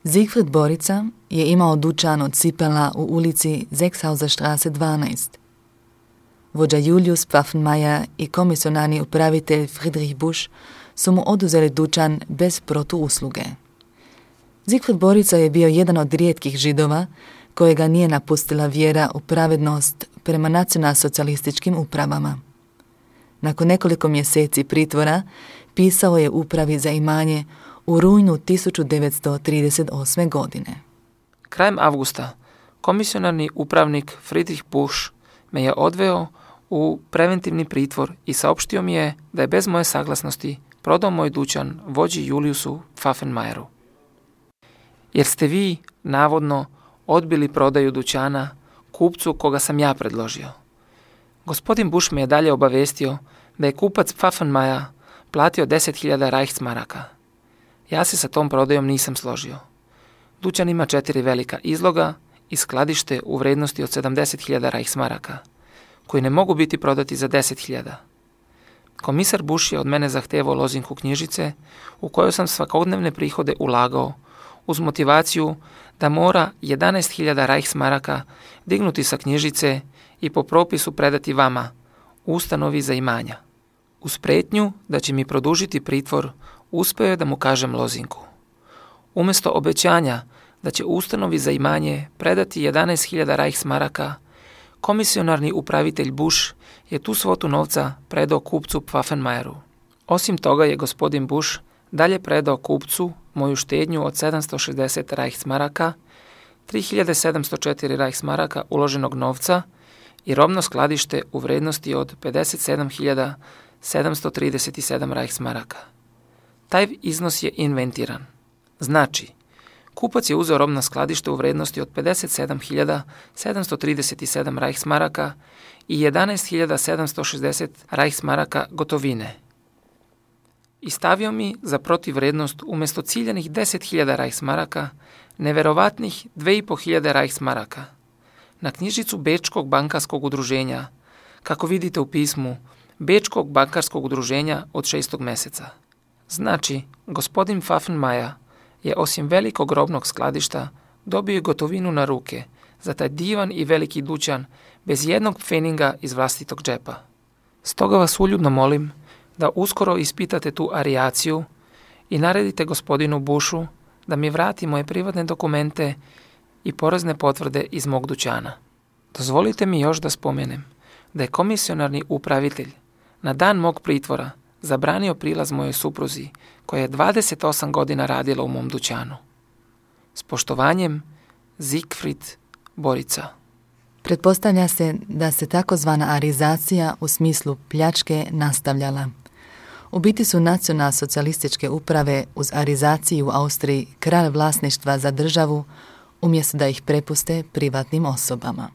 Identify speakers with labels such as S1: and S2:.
S1: Siegfried Borica je imao dućan od cipela u ulici Sechshauserstraße 12. Vođa Julius Pfaffenmayer i komisionarni upravitelj Friedrich Busch su mu oduzeli dućan bez protuusluge. Siegfried Borica je bio jedan od rijetkih Židova kojega nije napustila vjera u pravednost prema nacionalsocijalističkim upravama. Nakon nekoliko mjeseci pritvora pisao je upravi za imanje u rujnu 1938. godine.
S2: Krajem avgusta komisionarni upravnik Friedrich Busch me je odveo u preventivni pritvor i saopštio mi je da je bez moje saglasnosti prodao moj dućan vođi Juliusu Pfaffenmayeru. Jer ste vi, navodno, odbili prodaju dućana kupcu koga sam ja predložio. Gospodin Busch me je dalje obavestio da je kupac Pfaffenmayer platio 10.000 Reichsmaraka. Ja se sa tom prodajom nisam složio. Dućan ima 4 velika izloga i skladište u vrednosti od 70.000 Reichsmaraka, koji ne mogu biti prodati za 10.000. Komisar Busch je od mene zahtevao lozinku knjižice u kojoj sam svakodnevne prihode ulagao uz motivaciju da mora 11.000 Reichsmaraka dignuti sa knjižice i po propisu predati vama, ustanovi za imanja. Uz prijetnju da će mi produžiti pritvor, uspio je da mu kažem lozinku. Umjesto obećanja da će ustanovi za imanje predati 11.000 Reichsmaraka, komisionarni upravitelj Busch je tu svotu novca predao kupcu Pfaffenmayeru. Osim toga je gospodin Busch dalje predao kupcu moju štednju od 760 Reichsmaraka, 3.704 Reichsmaraka uloženog novca i robno skladište u vrednosti od 57.737 Reichsmaraka. Taj iznos je inventiran. Znači, kupac je uzeo robno skladište u vrednosti od 57.737 Reichsmaraka i 11.760 Reichsmaraka gotovine. I stavio mi za protivrednost umjesto ciljanih 10.000 Reichsmaraka neverovatnih 2.500 Reichsmaraka na knjižicu Bečkog bankarskog udruženja, kako vidite u pismu Bečkog bankarskog udruženja od 6. mjeseca. Znači, gospodin Pfaffenmayer je osim velikog robnog skladišta dobio gotovinu na ruke za taj divan i veliki dućan bez jednog pfeninga iz vlastitog džepa. Stoga vas uljudno molim da uskoro ispitate tu arijaciju i naredite gospodinu Buschu da mi vrati moje privatne dokumente i porezne potvrde iz mog dućana. Dozvolite mi još da spomenem da je komisionarni upravitelj na dan mog pritvora zabranio prilaz mojoj supruzi koja je 28 godina radila u mom dućanu. S poštovanjem, Siegfried Borica.
S1: Pretpostavlja se da se takozvana arizacija u smislu pljačke nastavljala. U biti su nacionalsocijalističke uprave uz arizaciju u Austriji kralj vlasništva za državu umjesto da ih prepuste privatnim osobama.